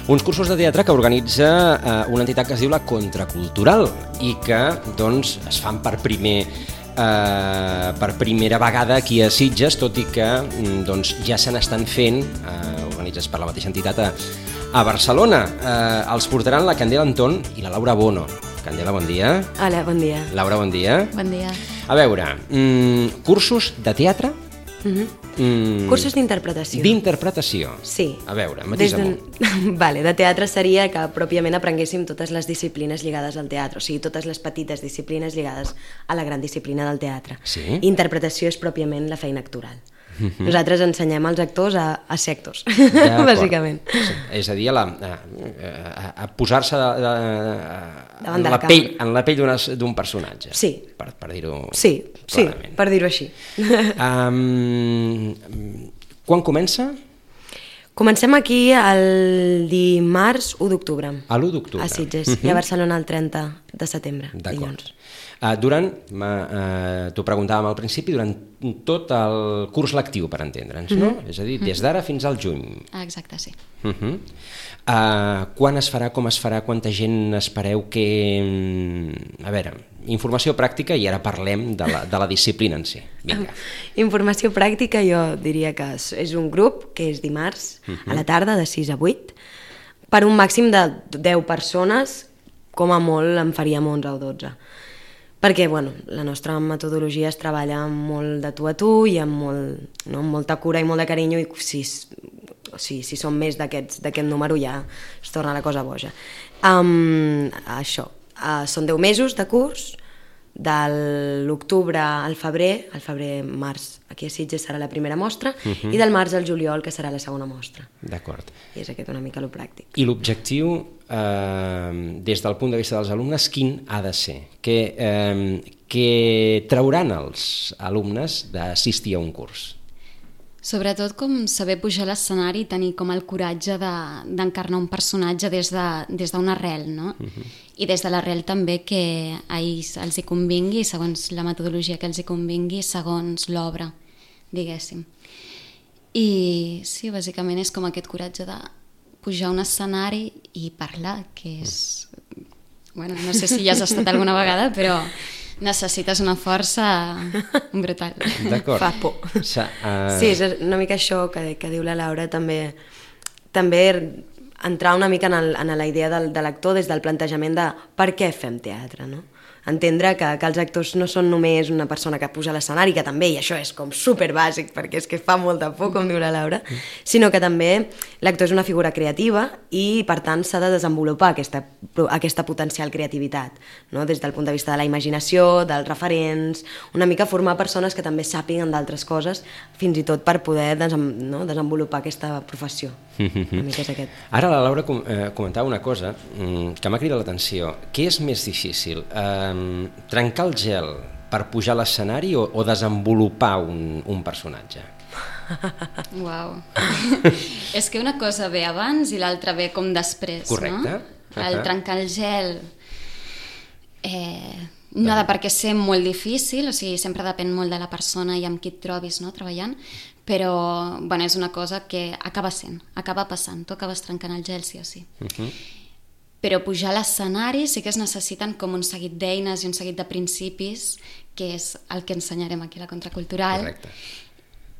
Uns cursos de teatre que organitza una entitat que es diu la Contracultural i que doncs, es fan per primera vegada aquí a Sitges, tot i que doncs, ja se n'estan fent, organitzats per la mateixa entitat a Barcelona. Els portaran la Candela Anton i la Laura Bono. Candela, bon dia. Hola, bon dia. Laura, bon dia. Bon dia. A veure, cursos de teatre? Cursos d'interpretació. D'interpretació? Sí. A veure, matisa-m'ho. Vale, de teatre seria que pròpiament aprenguéssim totes les disciplines lligades al teatre, o sigui, totes les petites disciplines lligades a la gran disciplina del teatre. Sí? Interpretació és pròpiament la feina actoral. Nosaltres ensenyem als actors a ser actors, bàsicament. Sí. És a dir, a posar-se en la pell d'un personatge. Sí. Per dir-ho clarament. Sí, per dir-ho així. Quan comença? Comencem aquí el dimarts 1 d'octubre. A l'1 d'octubre. A Sitges, i a Barcelona el 30 de setembre. D'acord. T'ho preguntàvem al principi, durant tot el curs lectiu, per entendre'ns, no? És a dir, des d'ara fins al juny. Exacte, sí. Quan es farà, com es farà, quanta gent espereu que... A veure, informació pràctica i ara parlem de la disciplina en si. Vinga. Informació pràctica jo diria que és un grup que és dimarts a la tarda de 6 a 8 per un màxim de 10 persones, com a molt en faríem 11 o 12. Perquè bueno, la nostra metodologia es treballa molt de tu a tu i amb molta cura i molt de carinyo, i si són més d'aquest número ja es torna la cosa boja. Això, són 10 mesos de curs, de l'octubre al febrer-març, aquí a Sitges serà la primera mostra, i del març al juliol, que serà la segona mostra. D'acord. I és aquest una mica lo pràctic. I l'objectiu, des del punt de vista dels alumnes, quin ha de ser? Què trauran els alumnes d'assistir a un curs? Sobretot com saber pujar a l'escenari i tenir com el coratge d'encarnar un personatge des d'una arrel, no? I des de l'arrel també que a ells els hi convingui, segons la metodologia que els hi convingui, segons l'obra, diguéssim. I sí, bàsicament és com aquest coratge de pujar a un escenari i parlar, que és... Bueno, no sé si ja has estat alguna vegada, però... necessites una força brutal. D'acord. Fa por. Sí, és una mica això que diu la Laura, també entrar una mica en la idea de l'actor des del plantejament de per què fem teatre, no? Entendre que els actors no són només una persona que puja a l'escenari, que també, i això és com superbàsic, perquè és que fa molta por, com diu la Laura, sinó que també l'actor és una figura creativa i, per tant, s'ha de desenvolupar aquesta potencial creativitat, no? Des del punt de vista de la imaginació, dels referents, una mica formar persones que també sàpiguen d'altres coses, fins i tot per poder desenvolupar aquesta professió. Una mica és aquest. Ara la Laura comentava una cosa que m'ha cridat l'atenció. Què és més difícil? Trencar el gel per pujar a l'escenari o desenvolupar un personatge? Uau. És que una cosa ve abans i l'altra ve com després, correcte. No? El trencar el gel no ha de per què ser molt difícil, o sigui, sempre depèn molt de la persona i amb qui et trobis, no?, treballant, però bueno, és una cosa que acaba passant, tu acabes trencant el gel sí o sí. Però pujar a l'escenari sí que es necessiten com un seguit d'eines i un seguit de principis, que és el que ensenyarem aquí a la Contracultural. Correcte.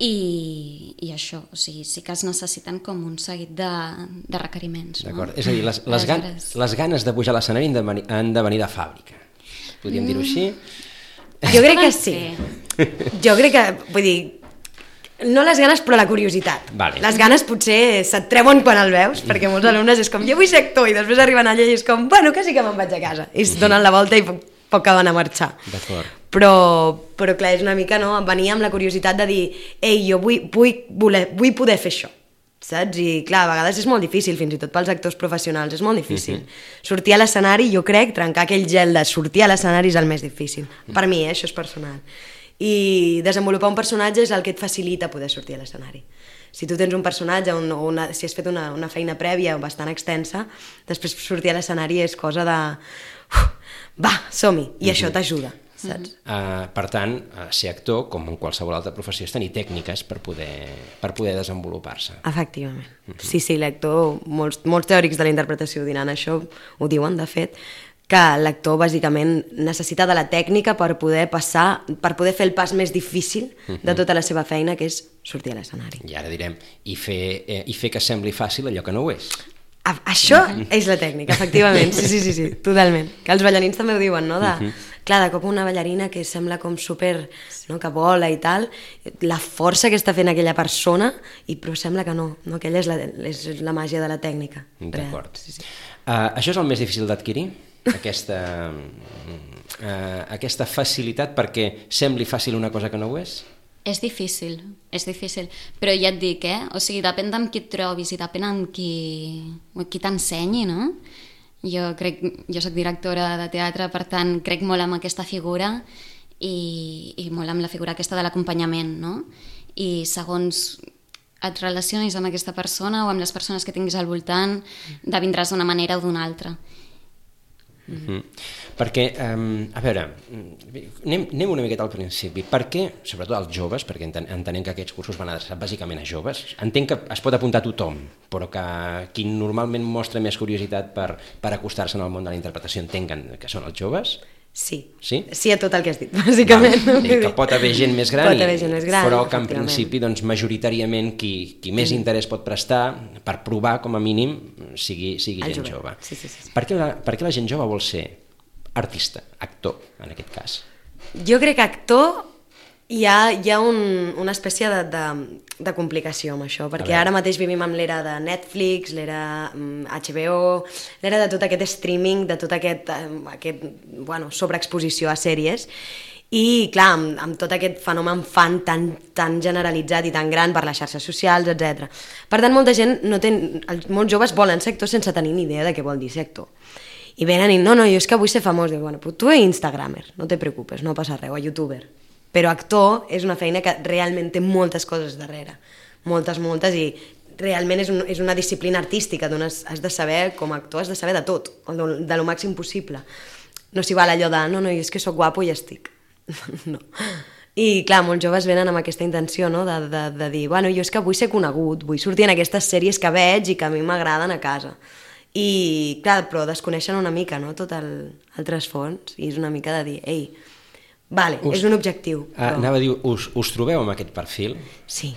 I això, o sigui, sí que es necessiten com un seguit de requeriments. D'acord, no? és a dir, les ganes de pujar a l'escenari han de venir de fàbrica. Podríem dir-ho així? Jo crec que sí. Jo crec que, vull dir, no les ganes però la curiositat. Vale. Les ganes potser se't treuen quan el veus, perquè molts alumnes és com jo vull ser actor i després arriben allà i és com bueno, que sí que me'n vaig a casa i es donen la volta i poc acaben a marxar. D'acord. Però clar, és una mica venir amb la curiositat de dir ei, jo vull poder fer això, saps? I clar, a vegades és molt difícil, fins i tot pels actors professionals és molt difícil. Sortir a l'escenari, jo crec, trencar aquell gel de sortir a l'escenari és el més difícil. Per mi, això és personal. I desenvolupar un personatge és el que et facilita poder sortir a l'escenari. Si tu tens un personatge, si has fet una feina prèvia bastant extensa, després sortir a l'escenari és cosa de... va, som-hi, i això t'ajuda, saps? Per tant, ser actor, com en qualsevol altra professió, és tenir tècniques per poder desenvolupar-se. Efectivament. Sí, l'actor, molts teòrics de la interpretació diran això, ho diuen, de fet, que l'actor bàsicament necessita de la tècnica per poder fer el pas més difícil de tota la seva feina, que és sortir a l'escenari. I ara direm, i fer que sembli fàcil allò que no ho és. Això és la tècnica, efectivament, sí, totalment. Que els ballarins també ho diuen, no? Clar, de cop una ballarina que sembla com super, no? Que vola i tal, la força que està fent aquella persona, però sembla que no, aquella és la màgia de la tècnica. D'acord. Sí. Això és el més difícil d'adquirir? Aquesta facilitat perquè sembli fàcil una cosa que no ho és? És difícil, però ja et dic, o sigui, depèn d'amb qui et trobis i depèn amb qui t'ensenyi, no? Jo soc directora de teatre, per tant, crec molt en aquesta figura i molt en la figura aquesta de l'acompanyament, no? I segons et relacionis amb aquesta persona o amb les persones que tinguis al voltant, vindràs d'una manera o d'una altra. Perquè, a veure, anem una miqueta al principi. Per què, sobretot als joves, perquè entenem que aquests cursos van adreçats bàsicament a joves, entenc que es pot apuntar a tothom, però que qui normalment mostra més curiositat per acostar-se al món de la interpretació entenc que són els joves? Sí Sí a tot el que has dit, bàsicament. Que pot haver gent més gran, però que en principi majoritàriament qui més interès pot prestar per provar com a mínim sigui gent jove. Sí. Per què la gent jove vol ser artista, actor en aquest cas? Jo crec que actor hi ha una espècie de complicació amb això, perquè ara mateix vivim amb l'era de Netflix, l'era HBO, l'era de tot aquest streaming, de tot aquest sobreexposició a sèries, i clar, amb tot aquest fenomen fan tan generalitzat i tan gran per les xarxes socials, etc. Per tant, molta gent molts joves volen ser actors sense tenir ni idea de què vol dir ser actor. I venen i no, jo és que vull ser famós. Dic, però tu ets instagramer, no te preocupes, no passa res, o youtuber. Però actor és una feina que realment té moltes coses darrere, moltes, i realment és una disciplina artística, has de saber, com a actor, has de saber de tot, de lo màxim possible. No s'hi val allò de, no, jo és que sóc guapo i ja estic. No. I clar, molts joves venen amb aquesta intenció, no? de dir, jo és que vull ser conegut, vull sortir en aquestes sèries que veig i que a mi m'agraden a casa. I clar, però desconeixen una mica, no? Tot el trasfons, i és una mica de dir, ei, és un objectiu. Anava a dir, us trobeu amb aquest perfil? Sí.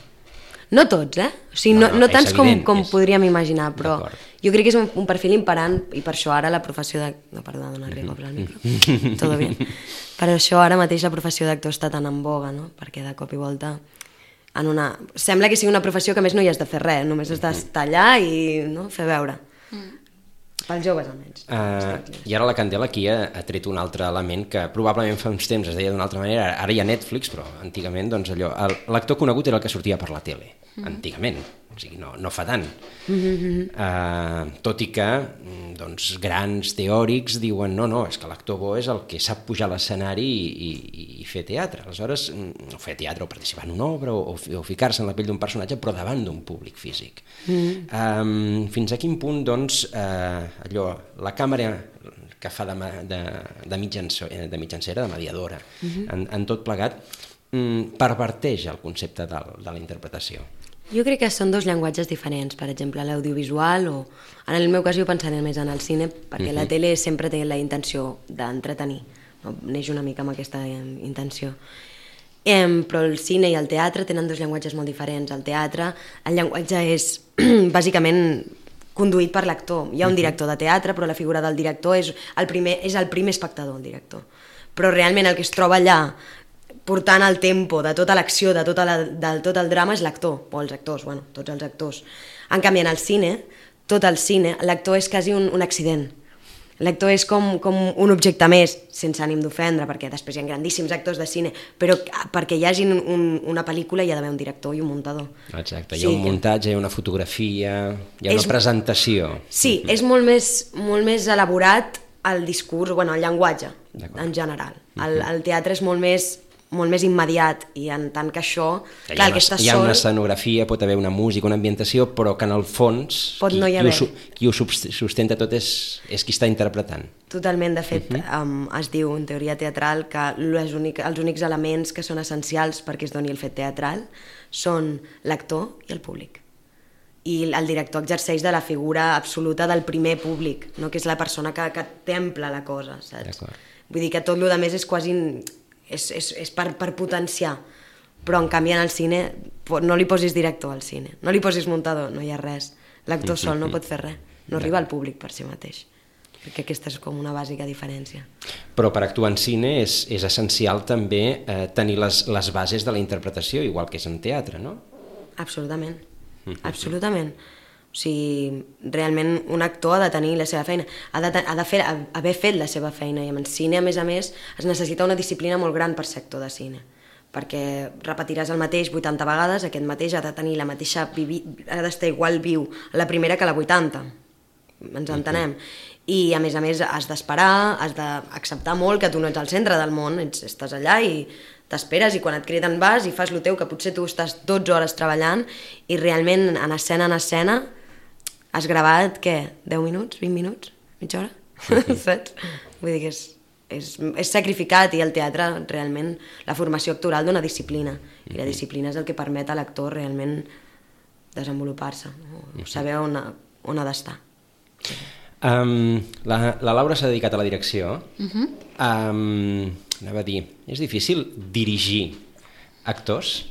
No tots, O sigui, no tants com podríem imaginar, però jo crec que és un perfil imperant, i per això ara la professió de... No, perdó, donar rico per al micro. Todo bien. Per això ara mateix la professió d'actor està tan en boga, no? Perquè de cop i volta sembla que sigui una professió que més no hi has de fer res, només has d'estar allà i fer veure. Pels joves, almenys. I ara la Candela aquí ha tret un altre element que probablement fa uns temps es deia d'una altra manera, ara hi ha Netflix, però antigament l'actor conegut era el que sortia per la tele, antigament, o sigui, no fa tant. Tot i que grans teòrics diuen no, és que l'actor bo és el que sap pujar a l'escenari i fer teatre. Aleshores, o fer teatre o participar en una obra o ficar-se en la pell d'un personatge, però davant d'un públic físic. Fins a quin punt, la càmera que fa de mitjancera, de mediadora, en tot plegat, perverteix el concepte de la interpretació? Jo crec que són dos llenguatges diferents, per exemple, l'audiovisual, o en el meu cas jo pensaré més en el cine, perquè la tele sempre té la intenció d'entretenir, neix una mica amb aquesta intenció. Però el cine i el teatre tenen dos llenguatges molt diferents. El teatre, el llenguatge és bàsicament conduït per l'actor. Hi ha un director de teatre, però la figura del director és el primer espectador, el director. Però realment el que es troba allà portant el tempo de tota l'acció, de tot el drama, és l'actor, o els actors, tots els actors. En canvi, en el cine, tot el cine, l'actor és quasi un accident. L'actor és com un objecte més, sense ànim d'ofendre, perquè després hi ha grandíssims actors de cine, però perquè hi hagi una pel·lícula hi ha d'haver un director i un muntador. Exacte, hi ha un muntatge, hi ha una fotografia, hi ha una presentació. Sí, és molt més elaborat el discurs, el llenguatge, en general. El teatre és molt més molt més immediat, i en tant que això, clar, el que estàs hi ha sol... una escenografia, pot haver una música, una ambientació, però que en el fons qui ho sustenta tot és qui està interpretant. Totalment, de fet, es diu en teoria teatral que els únics elements que són essencials perquè es doni el fet teatral són l'actor i el públic. I el director exerceix de la figura absoluta del primer públic, no? Que és la persona que templa la cosa, saps? Vull dir que tot el que més és quasi... és per potenciar, però en canvi en el cine no li posis director al cine, no li posis muntador, no hi ha res, l'actor sol no pot fer res, no arriba al públic per si mateix, perquè aquesta és com una bàsica diferència. Però per actuar en cine és essencial també tenir les bases de la interpretació, igual que és en teatre, no? Absolutament, absolutament. O sigui, realment un actor ha de tenir la seva feina, ha d'haver fet la seva feina, i en cine, a més, es necessita una disciplina molt gran per ser actor de cine, perquè repetiràs el mateix 80 vegades, aquest mateix ha de tenir la mateixa... ha d'estar igual viu a la primera que a la 80, ens entenem. I a més, has d'esperar, has d'acceptar molt que tu no ets al centre del món, estàs allà i t'esperes, i quan et criden vas i fas el teu, que potser tu estàs 12 hores treballant i realment en escena has gravat, què? 10 minuts? 20 minuts? Mitja hora? Saps? Vull dir que és sacrificat, i el teatre realment, la formació actoral dona disciplina, i la disciplina és el que permet a l'actor realment desenvolupar-se, saber on ha d'estar. La Laura s'ha dedicat a la direcció. Anava a dir, és difícil dirigir actors?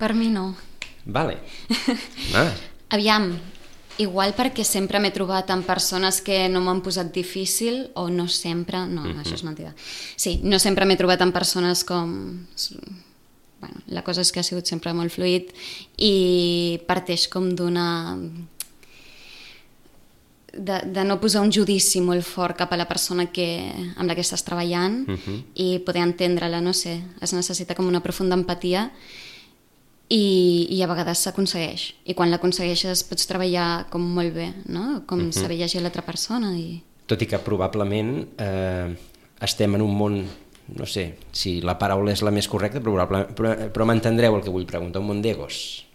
Per mi no. Vale. Aviam, igual perquè sempre m'he trobat amb persones que no m'han posat difícil, o no sempre, no, això és mentida. Sí, no sempre m'he trobat amb persones com... Bueno, la cosa és que ha sigut sempre molt fluid i parteix com d'una... de no posar un judici molt fort cap a la persona amb la que estàs treballant i poder entendre-la, no sé, es necessita com una profunda empatia i a vegades s'aconsegueix, i quan l'aconsegueixes pots treballar com molt bé, no? Com saber llegir l'altra persona. Tot i que probablement estem en un món, no sé si la paraula és la més correcta, però m'entendreu el que vull preguntar, un món d'egos.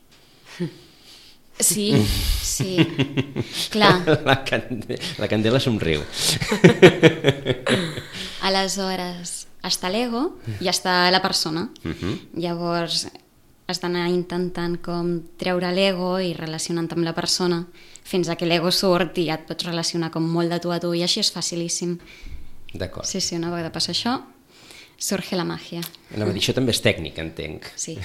Sí, clar. La Candela somriu. Aleshores, està l'ego i està la persona. Llavors has d'anar intentant com treure l'ego i relacionant amb la persona fins a que l'ego surt i ja et pots relacionar com molt de tu a tu, i així és facilíssim. D'acord. Sí, una vegada passa això, surge la màgia. Anava a dir, això també és tècnica, entenc. Sí.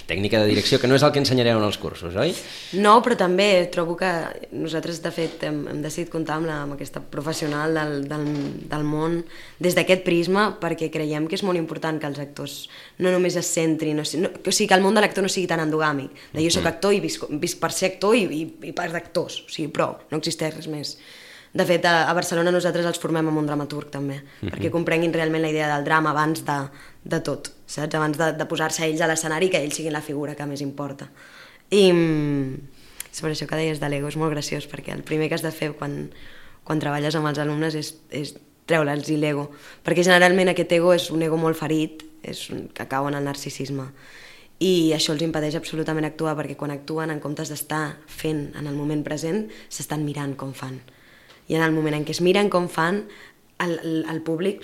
Tècnica de direcció, que no és el que ensenyareu en els cursos, oi? No, però també trobo que nosaltres, de fet, hem decidit comptar amb aquesta professional del món des d'aquest prisma, perquè creiem que és molt important que els actors no només es centrin, o sigui, que el món de l'actor no sigui tan endogàmic, de jo soc actor i visc per ser actor i pas d'actors, o sigui, prou, no existeix res més. De fet, a Barcelona nosaltres els formem amb un dramaturg també, perquè comprenguin realment la idea del drama abans de tot, saps? Abans de posar-se ells a l'escenari, que ells siguin la figura que més importa. I sobre això que deies de l'ego és molt graciós, perquè el primer que has de fer quan treballes amb els alumnes és treure'ls l'ego, perquè generalment aquest ego és un ego molt ferit, que cau en el narcisisme, i això els impedeix absolutament actuar, perquè quan actuen, en comptes d'estar fent en el moment present, s'estan mirant com fan. I en el moment en què es miren com fan, el públic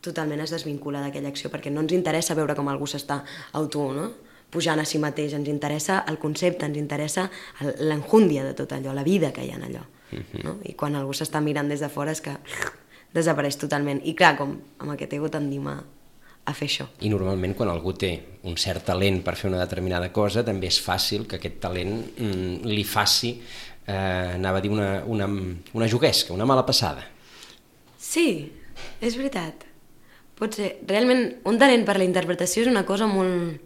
totalment es desvincula d'aquella acció, perquè no ens interessa veure com algú s'està pujant a si mateix, ens interessa el concepte, ens interessa l'enjúndia de tot allò, la vida que hi ha en allò. I quan algú s'està mirant des de fora és que desapareix totalment. I clar, com amb aquest ego tendim a fer això. I normalment quan algú té un cert talent per fer una determinada cosa, també és fàcil que aquest talent li faci anava a dir una juguesca, una mala passada. Sí, és veritat. Pot ser. Realment, un talent per la interpretació és una cosa molt,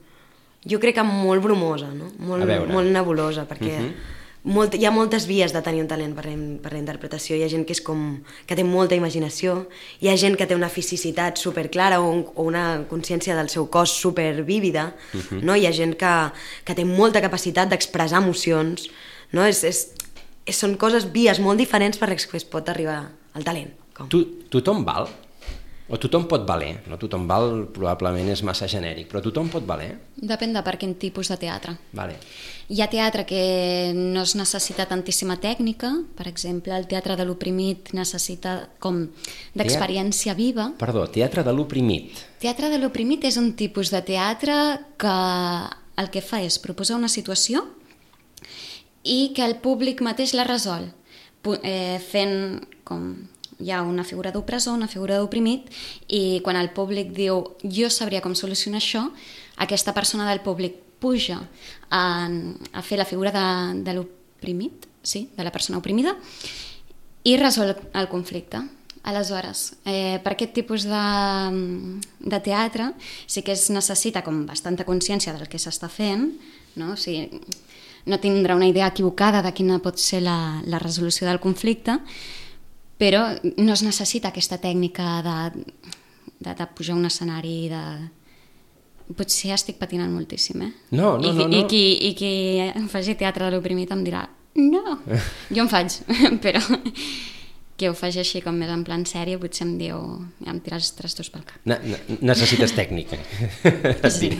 jo crec que molt bromosa, no? Molt nebulosa, perquè hi ha moltes vies de tenir un talent per la interpretació. Hi ha gent que té molta imaginació, hi ha gent que té una fisicitat superclara o una consciència del seu cos supervívida, no? Hi ha gent que té molta capacitat d'expressar emocions, no? Són vies molt diferents per les que es pot arribar al talent. Tothom val? O tothom pot valer, no tothom val, probablement és massa genèric, però tothom pot valer. Depèn de per quin tipus de teatre. Vale. Hi ha teatre que no es necessita tantíssima tècnica, per exemple, el teatre de l'oprimit necessita com d'experiència viva. Perdó, teatre de l'oprimit. Teatre de l'oprimit és un tipus de teatre que el que fa és proposar una situació i que el públic mateix la resol, fent com... Hi ha una figura d'opressor, una figura d'oprimit, i quan el públic diu jo sabria com solucionar això, aquesta persona del públic puja a fer la figura de l'oprimit, sí, de la persona oprimida, i resol el conflicte. Aleshores, per aquest tipus de teatre sí que es necessita com bastanta consciència del que s'està fent, no? O sigui, no tindrà una idea equivocada de quina pot ser la resolució del conflicte, però no es necessita aquesta tècnica de pujar a un escenari Potser estic patinant moltíssim, eh? No. I qui faci teatre de l'oprimit em dirà no, jo en faig, però que ho faci així com més en plan sèrie potser em diu, em tira els trastos pel cap. Necessites tècnica. Sí.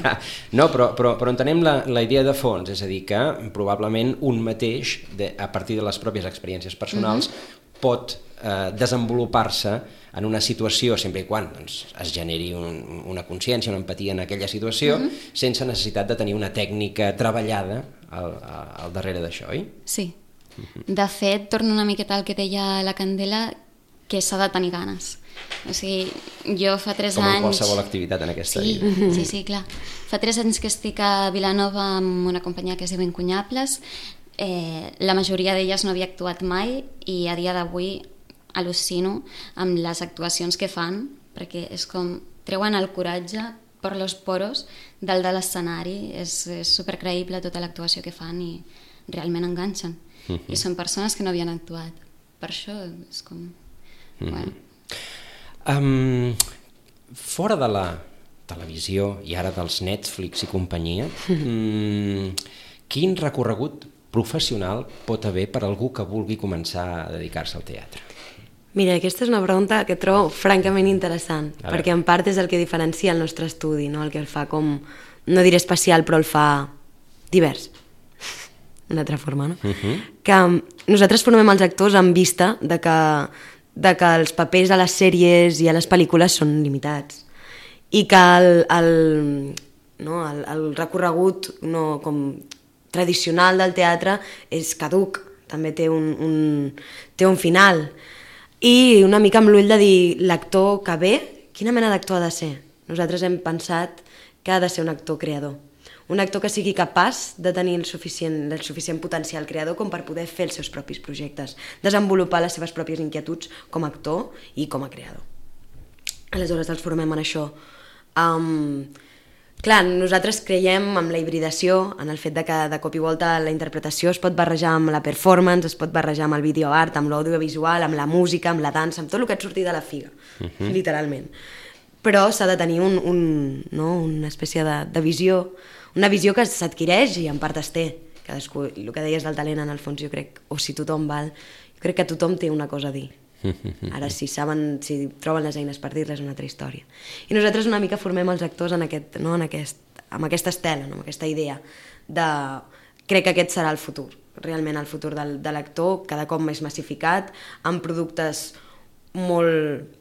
No, però entenem la idea de fons, és a dir, que probablement un mateix, a partir de les pròpies experiències personals, pot desenvolupar-se en una situació, sempre i quan es generi una consciència, una empatia en aquella situació, sense necessitat de tenir una tècnica treballada al darrere d'això, oi? Sí. De fet, torno una miqueta al que deia la Candela, que s'ha de tenir ganes. O sigui, jo fa 3 anys... Com en qualsevol activitat en aquesta vida. Sí, clar. Fa 3 anys que estic a Vilanova amb una companyia que es diu Incunyables. La majoria d'elles no havia actuat mai i a dia d'avui al·lucino amb les actuacions que fan, perquè és com treuen el coratge per los poros dalt de l'escenari, és supercreïble tota l'actuació que fan i realment enganxen. I són persones que no havien actuat. Per això és com... Bueno. Fora de la televisió i ara dels Netflix i companyia, quin recorregut professional pot haver per algú que vulgui començar a dedicar-se al teatre? Mira, aquesta és una pregunta que trobo francament interessant, perquè en part és el que diferencia el nostre estudi, no? El que el fa com, no diré especial, però el fa divers. Una altra forma, no? Que nosaltres formem els actors en vista de que els papers a les sèries i a les pel·lícules són limitats i que el recorregut com tradicional del teatre és caduc, també té un final. I una mica amb l'ull de dir, l'actor que ve, quina mena d'actor ha de ser? Nosaltres hem pensat que ha de ser un actor creador. Un actor que sigui capaç de tenir el suficient potencial creador com per poder fer els seus propis projectes, desenvolupar les seves pròpies inquietuds com a actor i com a creador. Aleshores els formem en això. Clar, nosaltres creiem en la hibridació, en el fet de que de cop i volta la interpretació es pot barrejar amb la performance, es pot barrejar amb el videoart, amb l'audiovisual, amb la música, amb la dansa, amb tot el que et surti de la figa, literalment. Però s'ha de tenir una espècie de visió, una visió que s'adquireix i en part es té. Cadascú, el que deies del talent, en el fons, jo crec, o si tothom val, jo crec que tothom té una cosa a dir. Ara, si troben les eines per dir-les, és una altra història. I nosaltres una mica formem els actors amb aquesta estela, amb aquesta idea de... Crec que aquest serà el futur, realment el futur de l'actor, cada cop més massificat, amb productes molt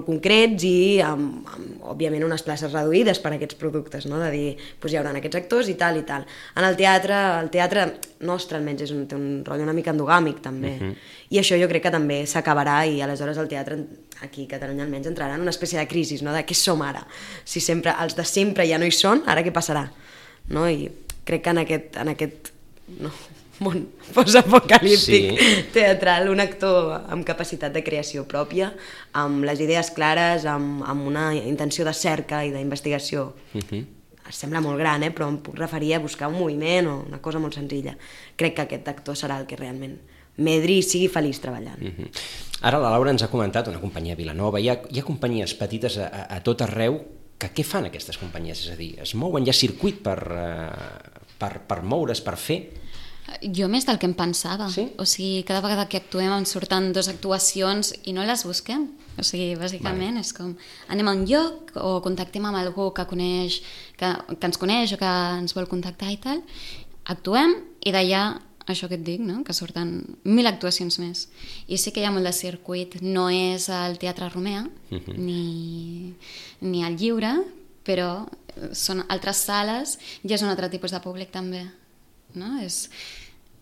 concrets i òbviament unes places reduïdes per a aquests productes, no? De dir, hi haurà aquests actors i tal i tal. En el teatre nostre almenys té un rotllo una mica endogàmic també, i això jo crec que també s'acabarà i aleshores el teatre aquí a Catalunya almenys entrarà en una espècie de crisi, no? De què som ara? Si els de sempre ja no hi són, ara què passarà? No? I crec que en aquest món postapocalíptic teatral, un actor amb capacitat de creació pròpia, amb les idees clares, amb una intenció de cerca i d'investigació. Sembla molt gran, però em puc referir a buscar un moviment o una cosa molt senzilla. Crec que aquest actor serà el que realment medri i sigui feliç treballant. Ara la Laura ens ha comentat una companyia a Vilanova, hi ha companyies petites a tot arreu. Què fan aquestes companyies? És a dir, es mouen, hi ha circuit per moure's, per fer? Jo més del que em pensava. Sí? O sigui, cada vegada que actuem ens surten 2 actuacions i no les busquem. O sigui, bàsicament és com anem a un lloc o contactem amb algú que coneix, que ens coneix o que ens vol contactar i tal, actuem i d'allà, això que et dic, no? Que surten 1000 actuacions més. I sí que hi ha molt de circuit. No és al Teatre Romea ni al Lliure, però són altres sales i és un altre tipus de públic també. No?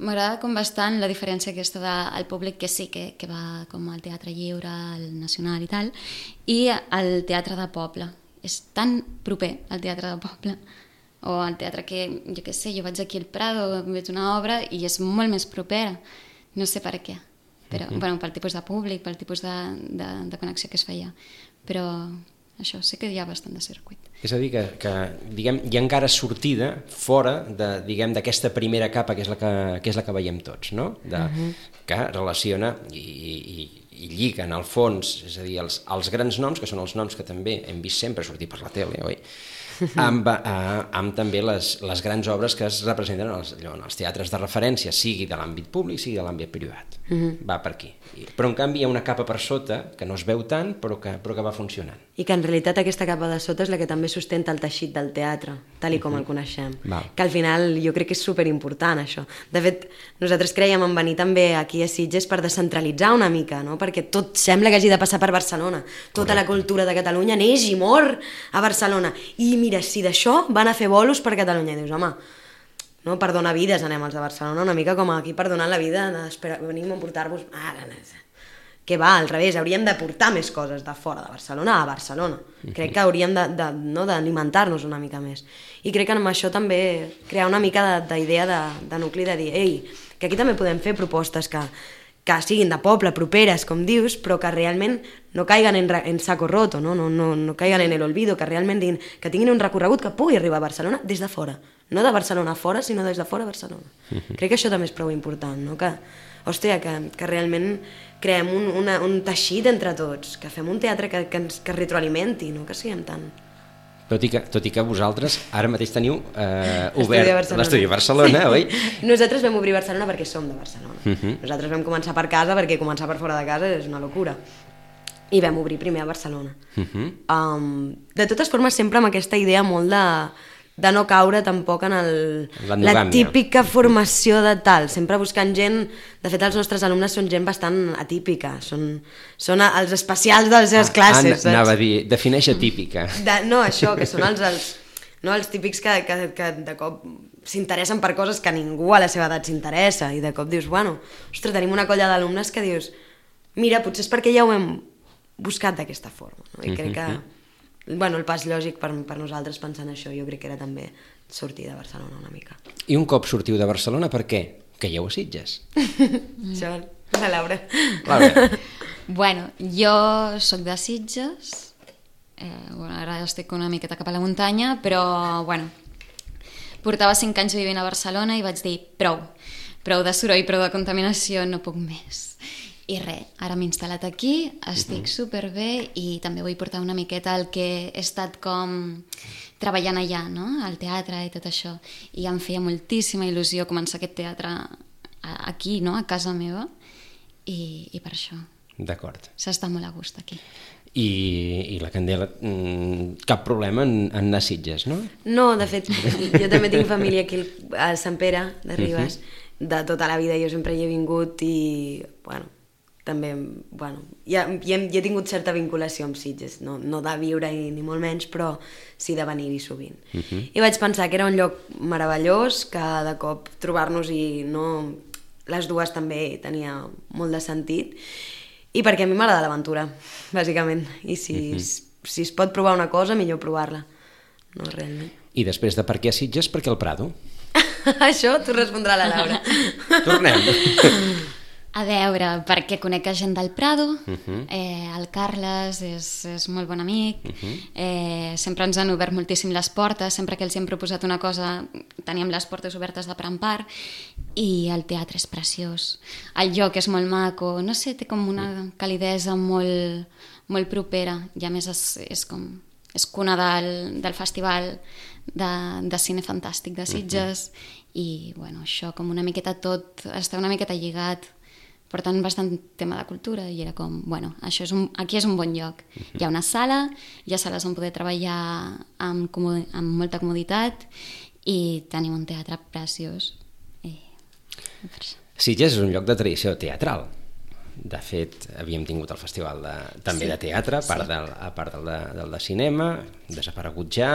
M'agrada com bastant la diferència aquesta del públic que sí que va com al Teatre Lliure, al Nacional i tal, i al teatre de poble. És tan proper al teatre de poble, o al teatre que, jo què sé, jo vaig aquí al Prado, veig una obra i és molt més propera. No sé per què, però, bueno, pel tipus de públic, pel tipus de connexió que es feia. Però això sí que hi ha bastant de circuit. És a dir, que diguem, hi ha encara sortida fora d'aquesta primera capa que és la que veiem tots, no? Que relaciona i lliga en el fons, és a dir, els grans noms, que són els noms que també hem vist sempre sortir per la tele, oi? Amb també les grans obres que es representen en els teatres de referència, sigui de l'àmbit públic, sigui de l'àmbit privat. Va per aquí. Però en canvi hi ha una capa per sota que no es veu tant però que va funcionant. I que en realitat aquesta capa de sota és la que també sustenta el teixit del teatre, tal com el coneixem. Que al final jo crec que és superimportant això. De fet, nosaltres creiem en venir també aquí a Sitges per descentralitzar una mica, no? Perquè tot sembla que hagi de passar per Barcelona. Tota la cultura de Catalunya neix i mor a Barcelona. I mira, si d'això van a fer bolos per Catalunya, i dius, home, no, per donar vides anem als de Barcelona, una mica com aquí per donar la vida, venim a portar-vos... Que va, al revés, hauríem de portar més coses de fora de Barcelona a Barcelona. Crec que hauríem d'alimentar-nos una mica més. I crec que amb això també crear una mica d'idea de nucli, de dir, ei, que aquí també podem fer propostes que siguin de poble, properes, com dius, però que realment no caiguen en saco roto, no caiguen en el olvido, que realment que tinguin un recorregut que pugui arribar a Barcelona des de fora. No de Barcelona a fora, sinó des de fora a Barcelona. Crec que això també és prou important, no? Que realment creem un teixit entre tots, que fem un teatre que retroalimenti, no que siguem tan... Tot i que vosaltres ara mateix teniu obert l'estudi a Barcelona, oi? Nosaltres vam obrir Barcelona perquè som de Barcelona. Nosaltres vam començar per casa perquè començar per fora de casa és una locura. I vam obrir primer a Barcelona. De totes formes, sempre amb aquesta idea molt de no caure tampoc en la típica formació de tal, sempre buscant gent. De fet, els nostres alumnes són gent bastant atípica, són els especials de les seves classes. Anava a dir, defineix atípica. No, això, que són els típics que de cop s'interessen per coses que ningú a la seva edat s'interessa, i de cop dius, bueno, ostres, tenim una colla d'alumnes que dius, mira, potser és perquè ja ho hem buscat d'aquesta forma, no? I crec que el pas lògic per nosaltres pensant això jo crec que era també sortir de Barcelona una mica. I un cop sortiu de Barcelona, per què? Caieu a Sitges. Això, la Laura. Bueno, jo soc de Sitges, ara estic una miqueta cap a la muntanya, però portava 5 anys vivint a Barcelona i vaig dir prou de soroll, prou de contaminació, no puc més. I res, ara m'he instal·lat aquí, estic superbé i també vull portar una miqueta el que he estat com treballant allà, no? Al teatre i tot això. I em feia moltíssima il·lusió començar aquest teatre aquí, no? A casa meva, i per això. D'acord. S'està molt a gust aquí. I la Candela, cap problema en anar a Sitges, no? No, de fet, jo també tinc família aquí a Sant Pere de Ribes, de tota la vida jo sempre hi he vingut i, també, ja he tingut certa vinculació amb Sitges, no de viure-hi ni molt menys, però sí de venir-hi sovint. I vaig pensar que era un lloc meravellós, que de cop trobar-nos-hi, les dues també tenia molt de sentit, i perquè a mi m'agrada l'aventura, bàsicament, i si es pot provar una cosa, millor provar-la, no realment. I després de per què a Sitges, per què al Prado? Això t'ho respondrà la Laura. Tornem. A veure, perquè conec gent del Prado, el Carles és molt bon amic, sempre ens han obert moltíssim les portes, sempre que els hem proposat una cosa teníem les portes obertes de part en part, i el teatre és preciós, el lloc és molt maco, no sé, té com una calidesa molt propera, i a més és cuna del festival de cine fantàstic de Sitges, i bueno, això com una miqueta tot està una miqueta lligat, per tant bastant tema de cultura, i era com, bueno, aquí és un bon lloc. Hi ha una sala, hi ha sales on poder treballar amb molta comoditat, i tenim un teatre preciós. Sitges és un lloc de tradició teatral. De fet, havíem tingut el festival també de teatre, a part del de cinema, desaparegut ja,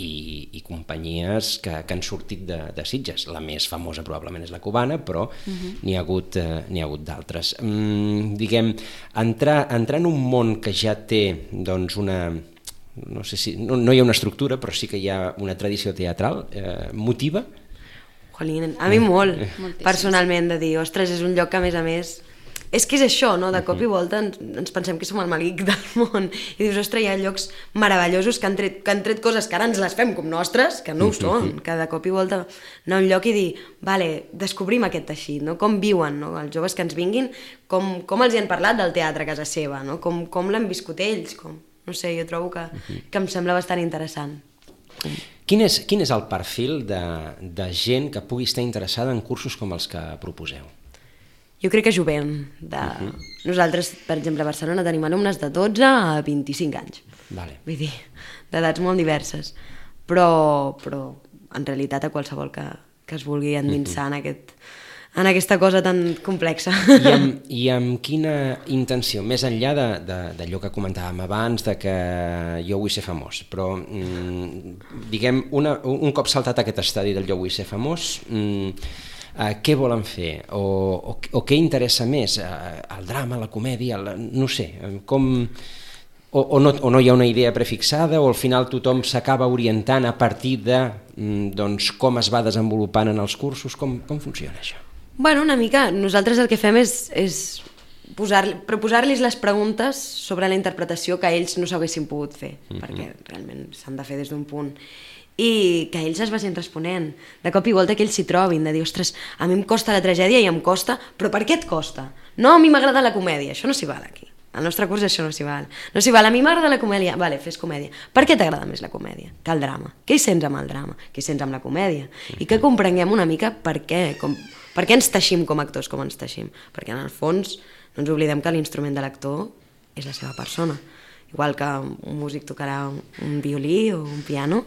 i companyies que han sortit de Sitges. La més famosa probablement és la cubana, però n'hi ha hagut d'altres. Diguem, entrar en un món que ja té doncs una... no sé si... no hi ha una estructura, però sí que hi ha una tradició teatral, motiva? Jolín, a mi molt, personalment, de dir, ostres, és un lloc que a més... És que és això, no? De cop i volta ens pensem que som el malic del món i dius, ostres, hi ha llocs meravellosos que han tret coses que ara ens les fem com nostres, que no ho són, que de cop i volta anar a un lloc i dir, vale, descobrim aquest teixit, no? Com viuen, no? Els joves que ens vinguin, com els hi han parlat del teatre a casa seva, no? Com l'han viscut ells, no sé, jo trobo que em sembla bastant interessant. Quin és el perfil de gent que pugui estar interessada en cursos com els que proposeu? Jo crec que jovent. Nosaltres, per exemple, a Barcelona tenim alumnes de 12 a 25 anys. Vull dir, d'edats molt diverses. Però en realitat a qualsevol que es vulgui endinsar en aquesta cosa tan complexa. I amb quina intenció? Més enllà d'allò que comentàvem abans, de que jo vull ser famós, però diguem, un cop saltat aquest estadi del jo vull ser famós, què volen fer? O què interessa més? El drama, la comèdia, no sé, o no hi ha una idea prefixada, o al final tothom s'acaba orientant a partir de com es va desenvolupant en els cursos? Com funciona això? Bueno, una mica. Nosaltres el que fem és proposar-los les preguntes sobre la interpretació que ells no s'haguessin pogut fer, perquè realment s'han de fer des d'un punt. I que ells es vagin responent. De cop i volta que ells s'hi trobin, de dir, ostres, a mi em costa la tragèdia i em costa, però per què et costa? No, a mi m'agrada la comèdia, això no s'hi val aquí. Al nostre curs això no s'hi val. No s'hi val, a mi m'agrada la comèdia. Vale, fes comèdia. Per què t'agrada més la comèdia que el drama? Què hi sents amb el drama? Què hi sents amb la comèdia? I que comprenguem una mica per què ens teixim com a actors, com ens teixim. Perquè en el fons no ens oblidem que l'instrument de l'actor és la seva persona. Igual que un músic tocarà un violí o un piano,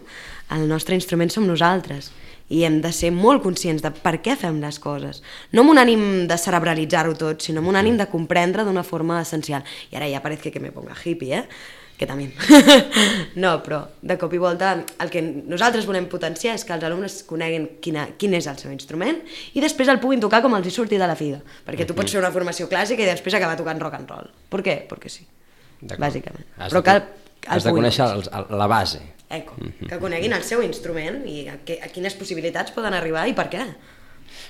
el nostre instrument som nosaltres i hem de ser molt conscients de per què fem les coses, no amb un ànim de cerebralitzar-ho tot, sinó amb un ànim de comprendre d'una forma essencial. I ara ja parece que me ponga hippie, que també. No, però de cop i volta el que nosaltres volem potenciar és que els alumnes coneguin quin és el seu instrument i després el puguin tocar com els hi surti de la figa, perquè tu pots fer una formació clàssica i després acabar tocant rock and roll. Per què? Perquè sí. Bàsicament. Però has de conèixer la base. Que coneguin el seu instrument i a quines possibilitats poden arribar i per què.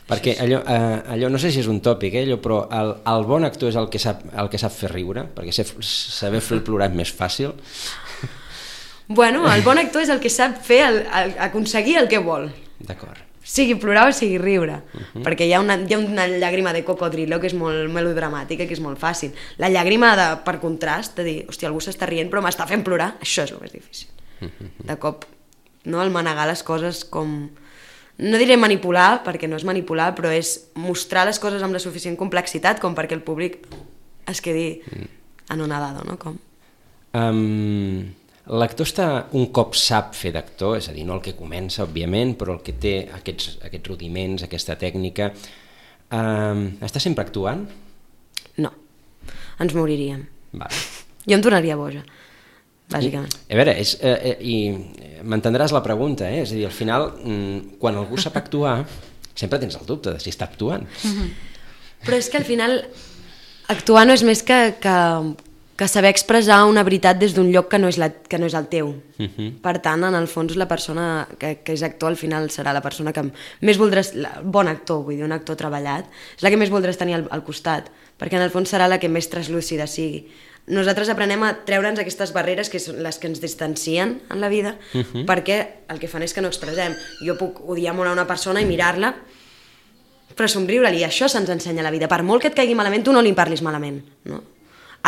Perquè allò no sé si és un tòpic, però el bon actor és el que sap fer riure, perquè saber fer plorar és més fàcil. Bueno, el bon actor és el que sap fer aconseguir el que vol. D'acord. Sigui plorar o sigui riure, perquè hi ha una llàgrima de cocodrilo que és molt melodramàtica, que és molt fàcil. La llàgrima per contrast, de dir, hòstia, algú s'està rient però m'està fent plorar, això és el més difícil. De cop, no, el manegar les coses com... No diré manipular, perquè no és manipular, però és mostrar les coses amb la suficient complexitat com perquè el públic es quedi anonadado, no? Com? L'actor un cop sap fer d'actor, és a dir, no el que comença, òbviament, però el que té aquests rudiments, aquesta tècnica, està sempre actuant? No, ens moriríem. Vale. Jo em tornaria boja, bàsicament. A veure, i m'entendràs la pregunta, és a dir, al final, quan algú sap actuar, sempre tens el dubte de si està actuant. Però és que al final actuar no és més que saber expressar una veritat des d'un lloc que no és el teu. Per tant, en el fons, la persona que és actor al final serà la persona que més voldràs, bon actor, vull dir, un actor treballat, és la que més voldràs tenir al costat, perquè en el fons serà la que més translúcida sigui. Nosaltres aprenem a treure'ns aquestes barreres que són les que ens distancien en la vida, perquè el que fan és que no expressem. Jo puc odiar molt a una persona i mirar-la, però somriure-li, això se'ns ensenya a la vida. Per molt que et caigui malament, tu no li parlis malament, no?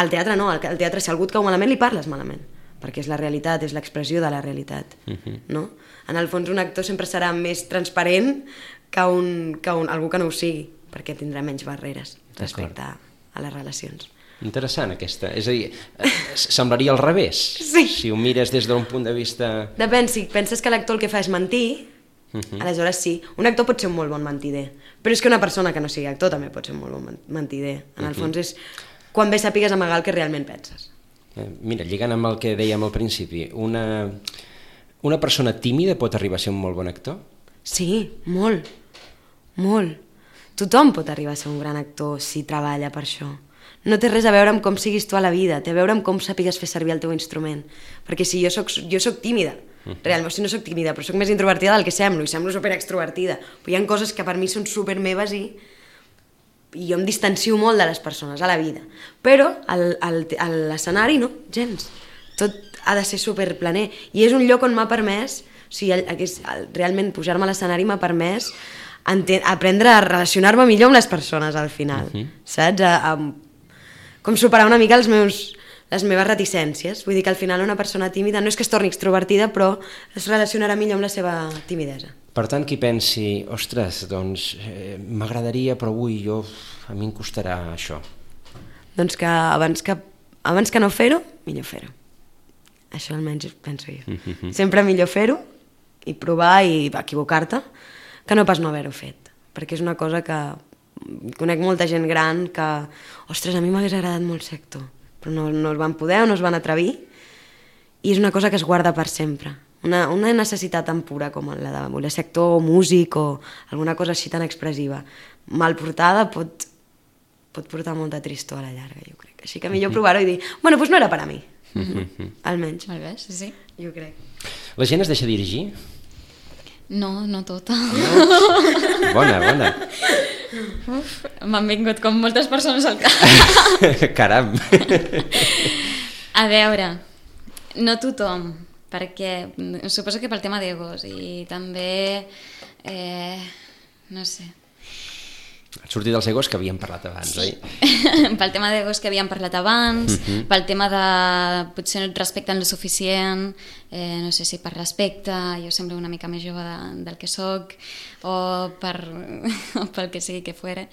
Al teatre no, al teatre si algú et cau malament li parles malament, perquè és la realitat, és l'expressió de la realitat, no? En el fons un actor sempre serà més transparent que algú que no ho sigui, perquè tindrà menys barreres respecte a les relacions. Interessant aquesta, és a dir, semblaria al revés, Sí. si ho mires des d'un punt de vista... Depèn, si penses que l'actor el que fa és mentir, aleshores sí, un actor pot ser un molt bon mentider, però és que una persona que no sigui actor també pot ser un molt bon mentider. En el fons és quan bé sàpigues amagar el que realment penses. Mira, lligant amb el que dèiem al principi, una persona tímida pot arribar a ser un molt bon actor? Sí, molt, molt. Tothom pot arribar a ser un gran actor si treballa per això. No té res a veure amb com siguis tu a la vida, té a veure amb com sàpigues fer servir el teu instrument. Perquè si jo soc tímida, realment, si no soc tímida, però soc més introvertida del que semblo, i semblo superextrovertida. Però hi ha coses que per mi són super meves i jo em distancio molt de les persones a la vida. Però a l'escenari no, gens. Tot ha de ser superplaner. I és un lloc on m'ha permès, o sigui, realment pujar-me a l'escenari m'ha permès aprendre a relacionar-me millor amb les persones al final, saps? Com superar una mica les meves reticències. Vull dir que al final una persona tímida no és que es torni extrovertida, però es relacionarà millor amb la seva timidesa. Per tant, qui pensi, ostres, doncs m'agradaria, però avui a mi em costarà això. Doncs que abans que no fer-ho, millor fer-ho. Això almenys penso jo. Sempre millor fer-ho i provar i equivocar-te que no pas no haver-ho fet. Perquè és una cosa que conec molta gent gran que, ostres, a mi m'hagués agradat molt ser actor, però no es van poder o no es van atrevir, i és una cosa que es guarda per sempre. Una necessitat tan pura com la de voler ser actor o músic o alguna cosa així tan expressiva. Mal portada pot portar molta tristor a la llarga, jo crec. Així que millor provar-ho i dir, bueno, doncs no era per a mi. Almenys. Molt bé, sí. Jo crec. La gent es deixa dirigir? No, no tota. No? Bona. Uf, m'han vingut com moltes persones al cap. Caram. A veure, no tothom, perquè suposo que pel tema d'egos i també, no sé... Sortir dels egos que havíem parlat abans, oi? Pel tema d'egos que havíem parlat abans, pel tema de potser no et respecten lo suficient, no sé si per respecte, jo semblo una mica més jove del que soc, o pel que sigui que fuera.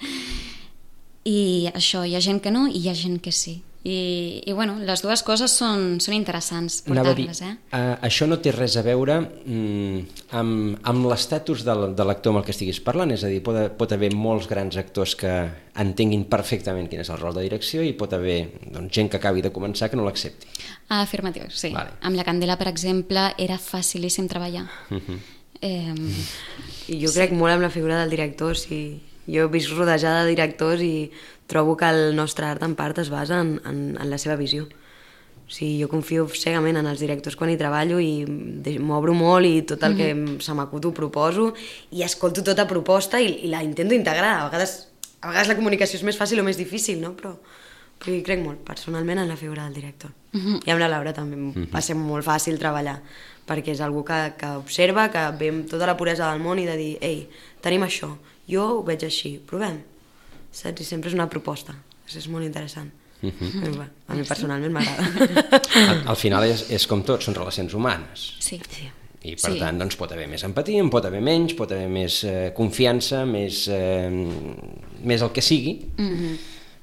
I això, hi ha gent que no i hi ha gent que sí. I bueno, les dues coses són interessants portar-les, Això no té res a veure amb l'estatus de l'actor amb el que estiguis parlant, és a dir, pot haver molts grans actors que entenguin perfectament quin és el rol de direcció i pot haver gent que acabi de començar que no l'accepti. Afirmatiu, sí. Vale. Amb la Candela, per exemple, era facilíssim treballar. I jo crec molt en la figura del director, sí. Jo he vist rodejada de directors i trobo que el nostre art en part es basa en la seva visió. O sigui, jo confio cegament en els directors quan hi treballo i m'obro molt i tot el que se m'acut ho proposo i escolto tota proposta i la intento integrar. A vegades la comunicació és més fàcil o més difícil, no? Però hi crec molt, personalment, en la figura del director. I amb la Laura també va ser molt fàcil treballar, perquè és algú que observa, que ve amb tota la puresa del món i de dir, ei, tenim això, jo ho veig així, provem, saps? I sempre és una proposta, és molt interessant. A mi personalment m'agrada. Al final és com tot, són relacions humanes. Sí. I per tant doncs, pot haver més empatia, en pot haver menys, pot haver més confiança, més el que sigui,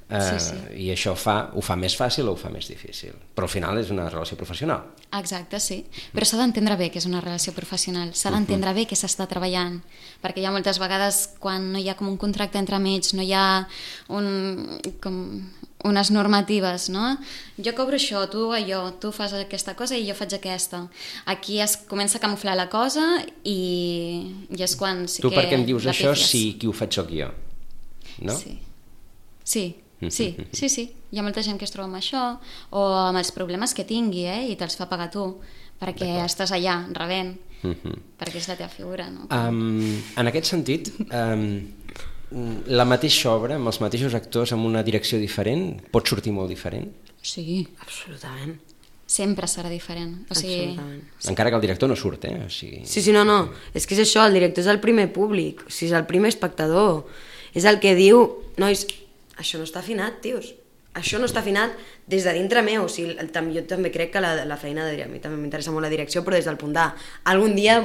i això ho fa més fàcil o ho fa més difícil. Però al final és una relació professional. Exacte, sí. Però s'ha d'entendre bé que és una relació professional, s'ha d'entendre bé que s'està treballant, perquè hi ha moltes vegades quan no hi ha com un contracte entre amics, no hi ha unes normatives, no? Jo cobro això, tu allò, tu fas aquesta cosa i jo faig aquesta. Aquí es comença a camuflar la cosa i és quan sí que... Tu per què em dius això si qui ho faig sóc jo? No? Sí. Hi ha molta gent que es troba amb això o amb els problemes que tingui i te'ls fa pagar tu perquè estàs allà rebent perquè és la teva figura, no? En aquest sentit, la mateixa obra amb els mateixos actors amb una direcció diferent pot sortir molt diferent? Sí, absolutament. Sempre serà diferent. O sigui, encara que el director no surt, o sigui... Sí, no. És que és això, el director és el primer públic, o sigui, és el primer espectador. És el que diu, nois, això no està afinat, tios. això no està afinat des de dintre meu, o sigui, jo també crec que la feina de a mi també m'interessa molt la direcció, però des del punt algun dia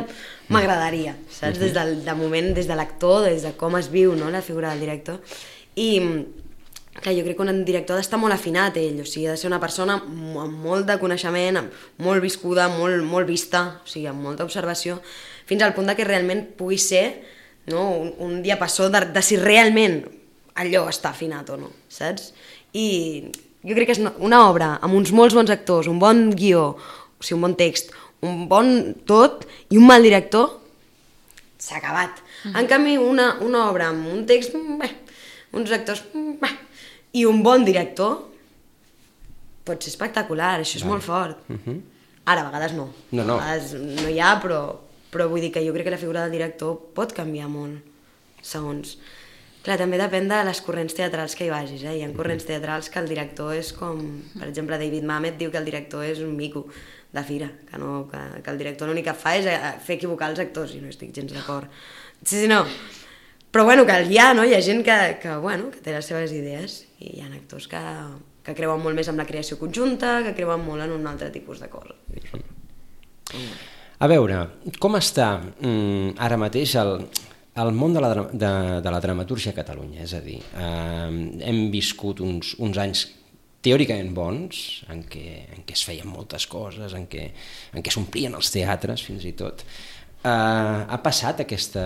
m'agradaria, saps? Des del moment, des de l'actor, des de com es viu, no?, la figura del director. I clar, jo crec que un director ha d'estar molt afinat ell, o sigui, ha de ser una persona amb molt de coneixement, molt viscuda, molt vista, o sigui, amb molta observació, fins al punt que realment pugui ser, no, un diapasó de si realment allò està afinat o no, saps? I jo crec que és una obra amb uns molts bons actors, un bon guió, o sigui, un bon text, un bon tot i un mal director, s'ha acabat. En canvi, una obra amb un text, uns actors, i un bon director, pot ser espectacular, això és molt fort. Ara, a vegades no. No. A vegades no hi ha, però vull dir que jo crec que la figura del director pot canviar molt, segons. Clar, també depèn de les corrents teatrals que hi vagis, Hi ha corrents teatrals que el director és com... Per exemple, David Mamet diu que el director és un mico de fira, que el director l'únic que fa és fer equivocar els actors, i no estic gens d'acord. Sí, no. Però bueno, que hi ha, no? Hi ha gent que té les seves idees, i hi ha actors que creuen molt més en la creació conjunta, que creuen molt en un altre tipus de cosa. A veure, com està ara mateix el món de la dramatúrgia a Catalunya? És a dir, hem viscut uns anys teòricament bons, en què es feien moltes coses, en què s'omplien els teatres, fins i tot. Ha passat aquesta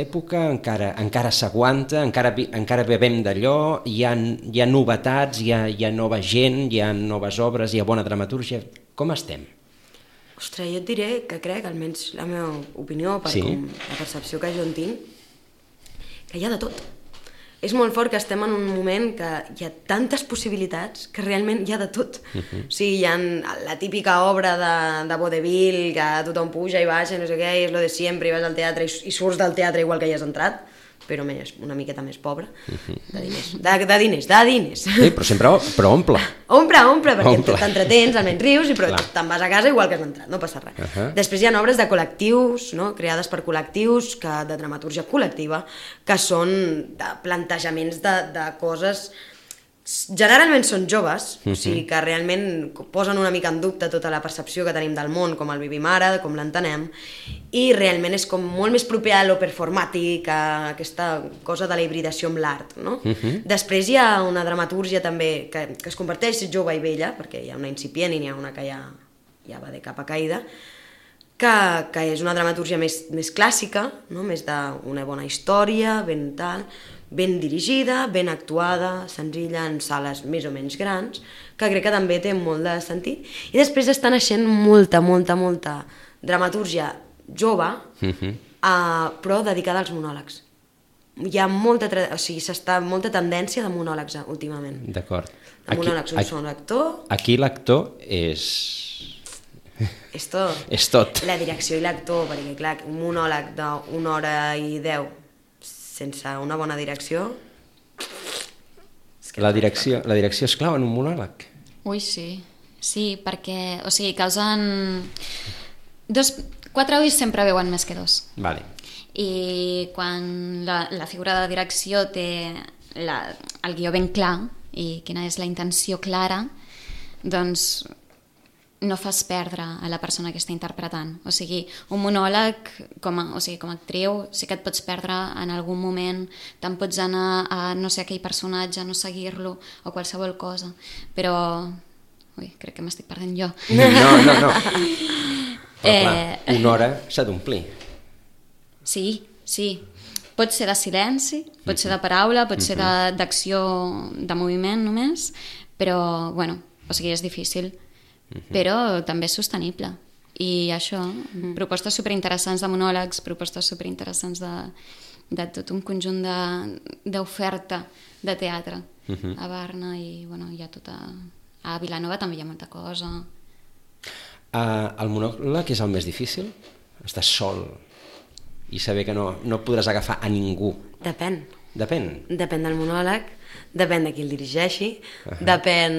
època, encara s'aguanta, encara bevem d'allò, hi ha novetats, hi ha nova gent, hi ha noves obres, hi ha bona dramatúrgia. Com estem? Ostres, jo et diré que crec, almenys la meva opinió, com la percepció que jo en tinc, que hi ha de tot. És molt fort que estem en un moment que hi ha tantes possibilitats que realment hi ha de tot. O sigui, hi ha la típica obra de vaudeville, que tothom puja i baixa, no sé què, i és lo de sempre, i vas al teatre i surts del teatre igual que hi has entrat, però una miqueta més pobre, de diners. Sí, però omple. Omple, perquè t'entretens, almenys rius, però te'n vas a casa igual que has entrat, no passa res. Després hi ha obres de col·lectius, creades per col·lectius, de dramatúrgia col·lectiva, que són de plantejaments de coses... Generalment són joves, o sigui que realment posen una mica en dubte tota la percepció que tenim del món, com el vivim ara, com l'entenem, i realment és com molt més proper a lo performàtic, a aquesta cosa de la hibridació amb l'art, no? Després hi ha una dramatúrgia també que es converteix jove i vella, perquè hi ha una incipient i n'hi ha una que ja va de capa caïda, que és una dramatúrgia més clàssica, no? Més d'una bona història, ben dirigida, ben actuada, senzilla, en sales més o menys grans, que crec que també té molt de sentit. I després està naixent molta dramatúrgia jove, però dedicada als monòlegs. Hi ha molta tendència de monòlegs últimament. D'acord. De monòlegs, un sol actor... Aquí l'actor és... És tot. És tot. La direcció i l'actor, perquè clar, un monòleg d'una hora i 10 sense una bona direcció... La direcció és clau en un monòleg? Ui, sí. Sí, perquè, o sigui, causen... 4 ulls sempre veuen més que 2. Vale. I quan la figura de direcció té el guió ben clar i quina és la intenció clara, doncs no fas perdre a la persona que està interpretant. O sigui, un monòleg, com a actriu, sí que et pots perdre en algun moment, te'n pots anar a no sé aquell personatge, no seguir-lo, o qualsevol cosa. Però... Ui, crec que m'estic perdent jo. No. Però clar, una hora s'ha d'omplir. Sí. Pot ser de silenci, pot ser de paraula, pot ser d'acció, de moviment només, però, bueno, o sigui, és difícil. Però també és sostenible. I això, propostes superinteressants de monòlegs, propostes superinteressants de tot un conjunt d'oferta de teatre a Barna i bueno, hi ha tota... A Vilanova també hi ha molta cosa. El monòleg és el més difícil? Estàs sol i saber que no podràs agafar a ningú. Depèn. Depèn del monòleg, depèn de qui el dirigeixi, depèn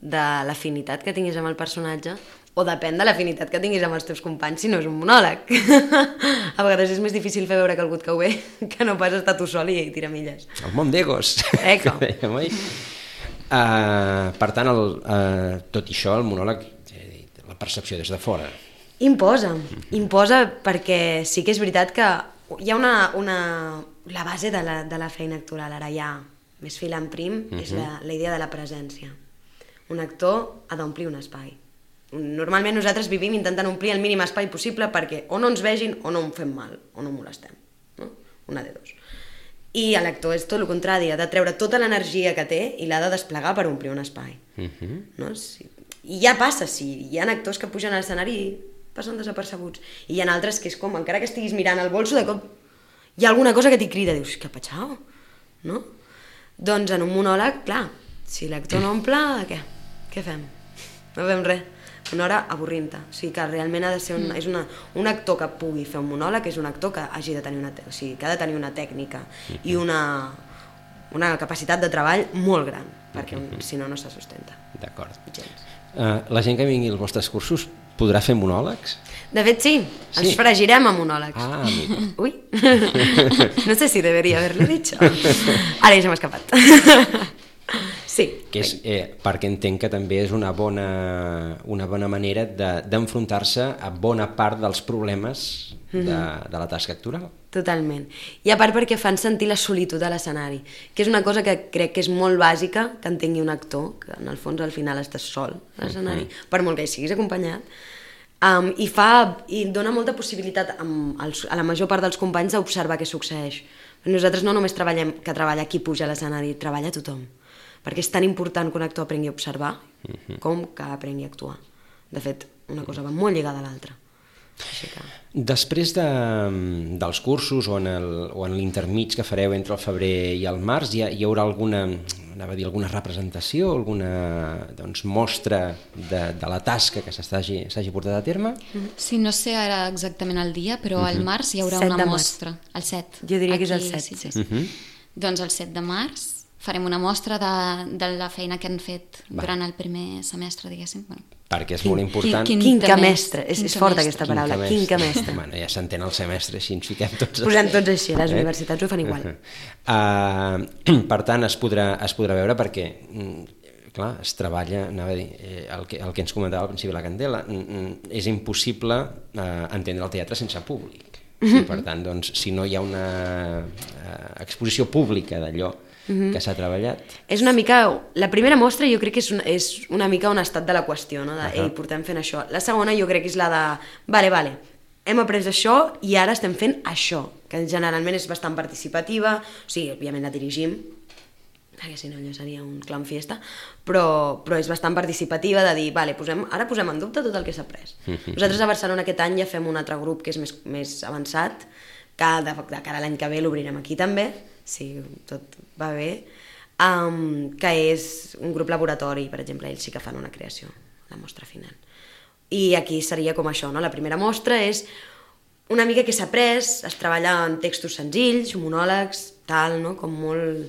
de l'afinitat que tinguis amb el personatge o depèn de l'afinitat que tinguis amb els teus companys si no és un monòleg. A vegades és més difícil fer veure que algú et cau bé que no pas estar tu sol i tirar milles. El món d'egos. Eco. Per tant, tot i això, el monòleg, la percepció des de fora. Imposa perquè sí que és veritat que hi ha la base de la feina actoral, ara ja més fil en prim, és la idea de la presència. Un actor ha d'omplir un espai. Normalment nosaltres vivim intentant omplir el mínim espai possible perquè o no ens vegin o no en fem mal, o no molestem. No? Una de dos. I l'actor és tot el contrari, ha de treure tota l'energia que té i l'ha de desplegar per omplir un espai. No? I ja passa, hi ha actors que pugen a l'escenari i passen desapercebuts. I hi ha altres que és com, encara que estiguis mirant el bolso, de cop hi ha alguna cosa que t'hi crida, dius, què ha patxau? No? Doncs en un monòleg, clar, si l'actor no omple, què? Què fem? No fem res. Una hora avorrint-te. O sigui que realment ha de ser un actor que pugui fer un monòleg, és un actor que hagi de tenir que ha de tenir una tècnica i una capacitat de treball molt gran, perquè si no, no se sustenta. D'acord. La gent que vingui als vostres cursos podrà fer monòlegs? De fet, sí. Ens fregirem a monòlegs. Amiga. Ui. No sé si debería haberlo dicho. Ara ja se m'ha escapat. Sí. Que és, perquè entenc que també és una bona manera d'enfrontar-se a bona part dels problemes de la tasca actoral. Totalment. I a part perquè fan sentir la solitud a l'escenari, que és una cosa que crec que és molt bàsica que entengui un actor, que en el fons al final estàs sol a l'escenari, per molt que hi siguis acompanyat, i dona molta possibilitat a la major part dels companys d'observar què succeeix. Nosaltres no només treballem que treballa qui puja a l'escenari, treballa tothom, perquè és tan important que un actor aprengui a observar com que aprengui a actuar. De fet, una cosa va molt lligada a l'altra. Després dels cursos o en l'intermig que fareu entre el febrer i el març, hi haurà alguna representació, alguna mostra de la tasca que s'hagi portat a terme? Sí, no sé ara exactament el dia, però al març hi haurà una mostra. El 7. Jo diria que és el 7. Sí. Doncs el 7 de març farem una mostra de la feina que han fet durant el primer semestre, diguéssim. Perquè és molt important. Quinquemestre, és forta aquesta paraula, quinquemestre. Bueno, ja s'entén el semestre, si ens fiquem tots... Posem tots així, les universitats ho fan igual. Per tant, es podrà veure perquè, clar, es treballa, anava a dir, el que ens comentava al principi de la Candela, és impossible entendre el teatre sense públic. Per tant, doncs, si no hi ha una exposició pública d'allò que s'ha treballat. És una mica... La primera mostra jo crec que és una mica un estat de la qüestió, no? Ei, portem fent això. La segona jo crec que és la de... Vale, hem après això i ara estem fent això, que generalment és bastant participativa, o sigui, òbviament la dirigim, perquè si no allò seria un clown fiesta, però és bastant participativa de dir, vale, ara posem en dubte tot el que s'ha après. Nosaltres a Barcelona aquest any ja fem un altre grup que és més avançat, que de cara a l'any que ve l'obrirem aquí també, si tot va bé, que és un grup laboratori, per exemple, ells sí que fan una creació, la mostra final. I aquí seria com això, no? La primera mostra és una mica que s'ha après, es treballa en textos senzills, monòlegs, tal, no? Com molt...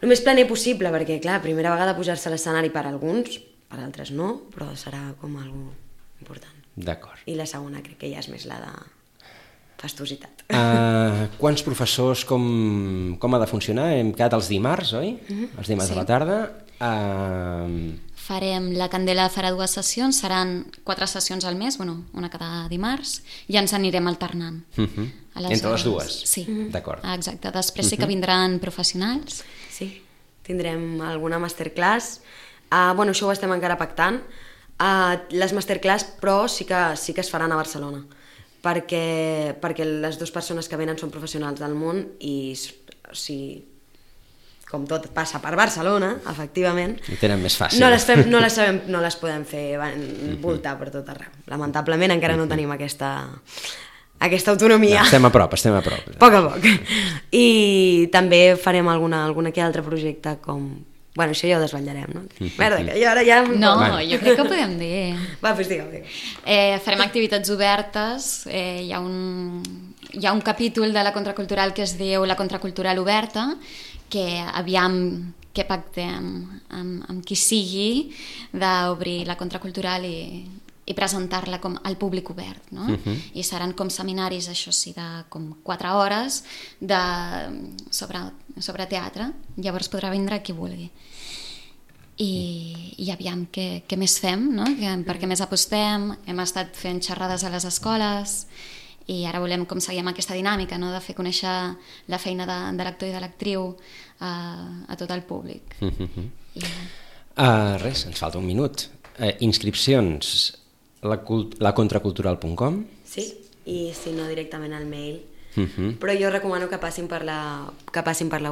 El més planer possible, perquè, clar, primera vegada pujar-se a l'escenari per alguns, per altres no, però serà com algo important. D'acord. I la segona crec que ja és més la de fastositat. Quants professors, com ha de funcionar? Hem quedat els dimarts, oi? Els dimarts de la tarda. La Candela farà 2 sessions, seran 4 sessions al mes, una cada dimarts, i ens anirem alternant. Entre les dues? Sí. D'acord. Exacte. Després sí que vindran professionals. Sí, tindrem alguna masterclass. Això ho estem encara pactant. Les masterclass, però, sí que es faran a Barcelona, perquè les 2 persones que venen són professionals del món i, com tot passa per Barcelona, efectivament, ho tenen més fàcil. No les podem fer voltar per tot arreu. Lamentablement encara no tenim aquesta autonomia. Estem a prop. A poc a poc. I també farem alguna que altre projecte com... això ja ho desvetllarem, no? Merda, que jo ara ja... No, jo crec que ho podem dir. Va, doncs digue-ho. Farem activitats obertes. Hi ha un capítol de la contracultural que es diu La contracultural oberta, que aviam que pactem amb qui sigui d'obrir la contracultural i presentar-la com al públic obert, no? I seran com seminaris, això sí, de com 4 hores sobre teatre. Llavors podrà vindre qui vulgui. i aviam què més fem, no? Per què més apostem. Hem estat fent xerrades a les escoles i ara volem com seguir amb aquesta dinàmica, no? De fer conèixer la feina de l'actor i de l'actriu a tot el públic. Res, ens falta un minut. Inscripcions lacontracultural.com. Sí, i si no directament al mail. Però jo recomano que passin per la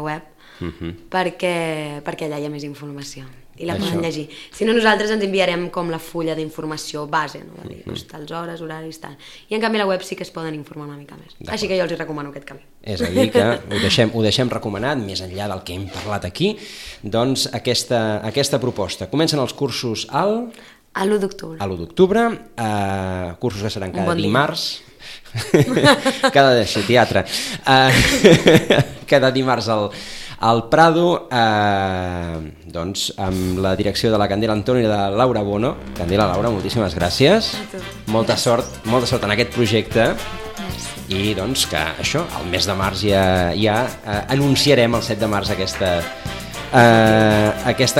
web perquè allà hi ha més informació i la poden llegir. Si no, nosaltres ens enviarem com la fulla d'informació base, no? De dir, tals hores, horaris, tal. I en canvi a la web sí que es poden informar una mica més. Així que jo els recomano aquest camí. És a dir, que ho deixem recomanat, més enllà del que hem parlat aquí, doncs aquesta proposta. Comencen els cursos a l'1 d'octubre. A l'1 d'octubre, cursos que seran cada dimarts. Cada teatre. Cada dimarts al Prado, doncs amb la direcció de la Candela Antón i de Laura Bono. Candela, Laura, moltíssimes gràcies. Molta sort en aquest projecte. I doncs que això, el mes de març ja anunciarem el 7 de març aquesta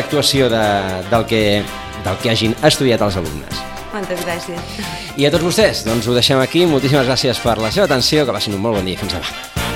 actuació del que hagin estudiat els alumnes. Moltes gràcies. I a tots vostès, doncs ho deixem aquí. Moltíssimes gràcies per la seva atenció, que passin un molt bon dia. Fins demà.